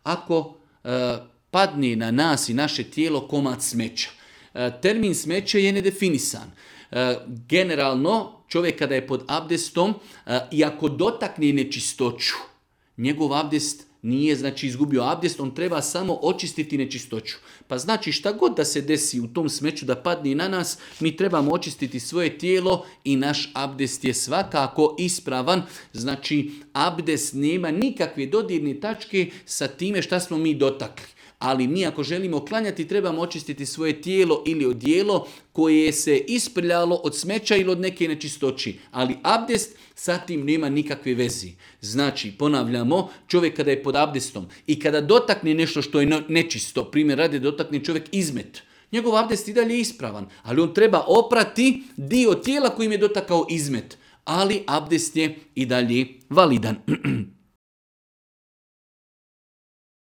ako padne na nas i naše tijelo komad smeća. Termin smeće je nedefinisan. Generalno, čovjek kada je pod abdestom i ako dotakne nečistoću, njegov abdest nije znači izgubio abdest, on treba samo očistiti nečistoću. Pa znači šta god da se desi u tom smeću da padne na nas, mi trebamo očistiti svoje tijelo i naš abdest je svakako ispravan. Znači abdest nema nikakve dodirne tačke sa time šta smo mi dotakli. Ali mi ako želimo klanjati trebamo očistiti svoje tijelo ili odijelo koje se isprljalo od smeća ili od neke nečistoći. Ali abdest sa tim nema nikakve vezi. Znači, ponavljamo, čovjek kada je pod abdestom i kada dotakne nešto što je nečisto, primjer radi dotakne čovjek izmet, njegov abdest i dalje je ispravan, ali on treba oprati dio tijela kojim je dotakao izmet. Ali abdest je i dalje validan.